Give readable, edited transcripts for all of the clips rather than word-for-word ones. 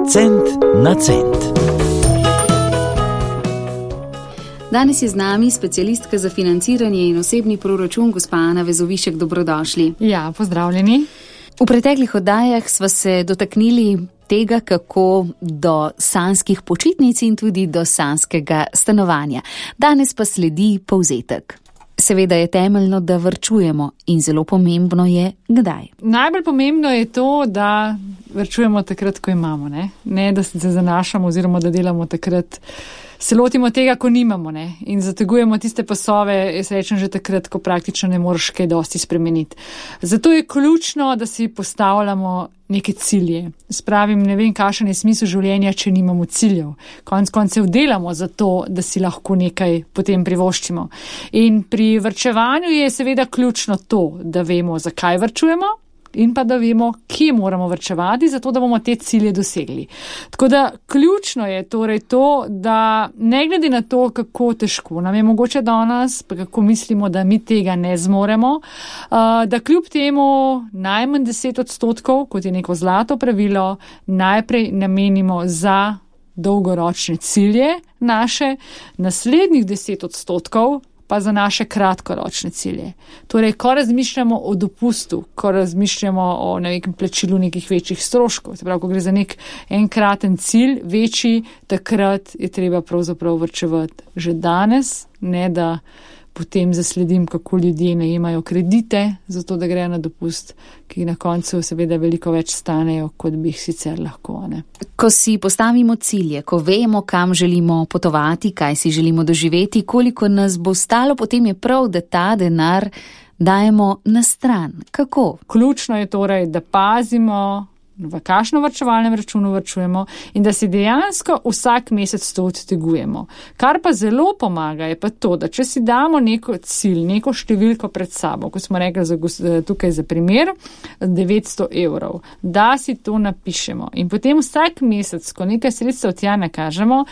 Cent na cent. Danes je z nami specialistka za financiranje in osebni proračun, gospa Ana Vezovišek. Dobrodošli. Ja, pozdravljeni. V preteklih oddajah sva se dotaknili tega, kako do sanskih počitnic in tudi do sanskega stanovanja. Danes pa sledi povzetek. Seveda je temeljno, da varčujemo in zelo pomembno je, kdaj. Najbolj pomembno je to, da varčujemo takrat, ko imamo, ne da se zanašamo oziroma da delamo takrat, se lotimo tega, ko nimamo, ne, in zategujemo tiste pasove, jaz rečem že takrat, ko praktično ne moreš kaj dosti spremeniti. Zato je ključno, da si postavljamo neke cilje. Spravim, ne vem, kakšen je smisel življenja, če nimamo ciljev. Konec koncev delamo za to, da si lahko nekaj potem privoščimo. In pri varčevanju je seveda ključno to, da vemo, zakaj varčujemo, in pa da vemo, kje moramo varčevati, zato da bomo te cilje dosegli. Tako da ključno je torej to, da ne glede na to, kako težko nam je mogoče danes, pa kako mislimo, da mi tega ne zmoremo, da kljub temu najmanj 10%, kot je neko zlato pravilo, najprej namenimo za dolgoročne cilje naše, naslednjih 10% pa za naše kratkoročne cilje. Torej, ko razmišljamo o dopustu, ko razmišljamo o nekem plačilu nekih večjih stroškov, se pravi, ko gre za nek enkraten cilj, večji, takrat je treba pravzaprav varčevati že danes, ne da potem zasledim, kako ljudje najemajo kredite, zato da grejo na dopust, ki na koncu seveda veliko več stanejo, kot bi jih sicer lahko. Ne? Ko si postavimo cilje, ko vemo, kam želimo potovati, kaj si želimo doživeti, koliko nas bo stalo, potem je prav, da ta denar dajemo na stran. Kako? Ključno je torej, da pazimo, v kakšno varčevalnem računu varčujemo in da si dejansko vsak mesec to odtegujemo. Kar pa zelo pomaga je pa to, da če si damo neko cilj, neko številko pred sabo, kot smo rekli tukaj za primer, 900 €, da si to napišemo in potem vsak mesec, ko nekaj sredstev tja nakažemo,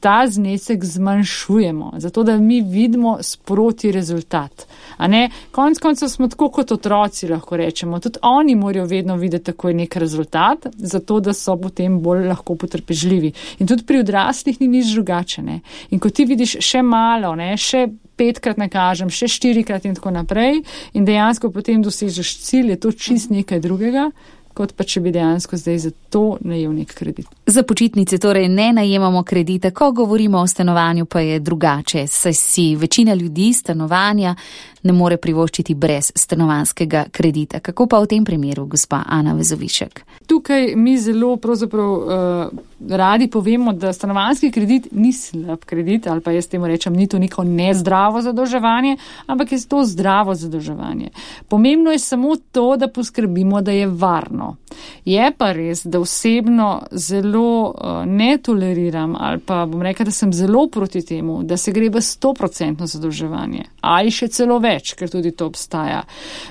ta znesek zmanjšujemo, zato da mi vidimo sproti rezultat. A ne, konec koncev smo tako kot otroci, lahko rečemo, tudi oni morajo vedno videti takoj nek rezultat, zato da so potem bolj lahko potrpežljivi. In tudi pri odraslih ni nič drugače, ne. In ko ti vidiš še malo, ne, še 5-krat nakažem, še 4-krat in tako naprej in dejansko potem dosežeš cilj, je to čist nekaj drugega, kot pa če bi dejansko zdaj za to najel nek kredit. Za počitnice torej ne najemamo kredita, ko govorimo o stanovanju pa je drugače, saj si večina ljudi stanovanja ne more privoščiti brez stanovanjskega kredita. Kako pa v tem primeru, gospa Ana Vezovišek? Tukaj mi zelo pravzaprav radi povemo, da stanovanjski kredit ni slab kredit, ali pa jaz temu rečem, ni to neko nezdravo zadolževanje, ampak je to zdravo zadolževanje. Pomembno je samo to, da poskrbimo, da je varno. Je pa res, da osebno zelo ne toleriram ali pa bom rekla, da sem zelo proti temu, da se gre v 100% zadolževanje ali še celo več, ker tudi to obstaja.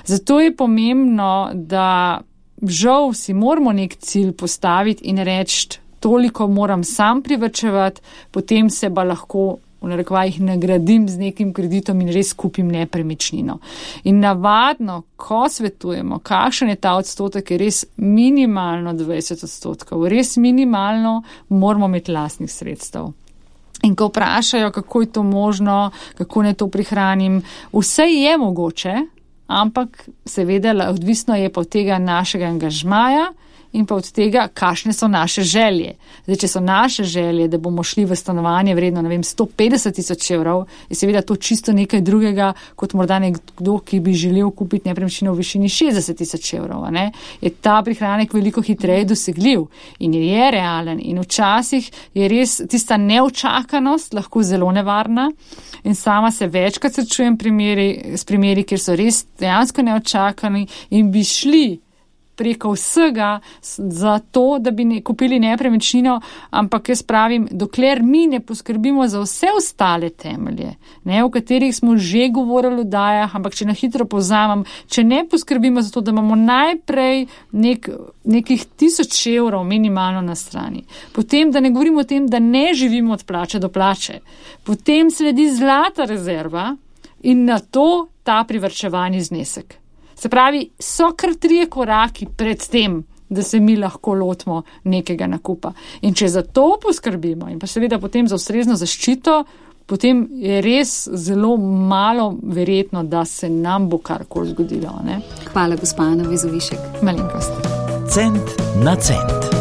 Zato je pomembno, da žal si moramo nek cilj postaviti in reči, toliko moram sam privarčevati, potem se pa lahko v narekovajih nagradim z nekim kreditom in res kupim nepremičnino. In navadno, ko svetujemo, kakšen je ta odstotek, je res minimalno 20%. Res minimalno moramo imeti lastnih sredstev. In ko vprašajo, kako je to možno, kako ne to prihranim, vse je mogoče, ampak seveda odvisno je pa od tega našega angažmaja in pa od tega, kakšne so naše želje. Zdaj, če so naše želje, da bomo šli v stanovanje vredno, 150 000 €, je seveda to čisto nekaj drugega, kot morda nekdo, ki bi želel kupiti nepremičnino v višini 60 000 €, ne? Je ta prihranek veliko hitreje dosegljiv in je realen in včasih je res tista neočakanost lahko zelo nevarna in sama se večkrat srečujem s primeri, kjer so res dejansko neočakani in bi šli preko vsega za to, da bi kupili nepremičnino, ampak jaz pravim, dokler mi ne poskrbimo za vse ostale temelje, ne, o katerih smo že govorili v dajah, ampak če na hitro povzamem, če ne poskrbimo za to, da imamo najprej nekih 1000 € minimalno na strani, potem, da ne govorimo o tem, da ne živimo od plače do plače, potem sledi zlata rezerva in na to ta privarčevani znesek. Se pravi, so kar 3 koraki pred tem, da se mi lahko lotimo nekega nakupa. In če za to poskrbimo in pa seveda potem za ustrezno zaščito, potem je res zelo malo verjetno, da se nam bo karkoli zgodilo. Ne? Hvala, gospa Ana Vezovišek. Malenkost. Cent na cent.